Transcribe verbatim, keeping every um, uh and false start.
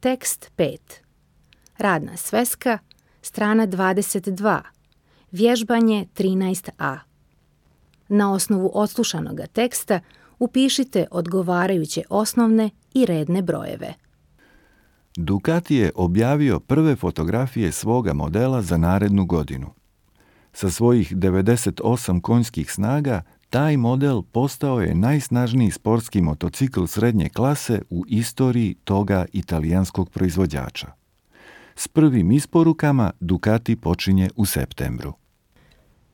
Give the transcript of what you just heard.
Tekst pet. Radna sveska, strana dvadeset dva. Vježbanje trinaest a. Na osnovu odslušanog teksta upišite odgovarajuće osnovne i redne brojeve. Ducati je objavio prve fotografije svoga modela za narednu godinu. Sa svojih devedeset osam konjskih snaga, taj model postao je najsnažniji sportski motocikl srednje klase u istoriji toga italijanskog proizvođača. S prvim isporukama Ducati počinje u septembru.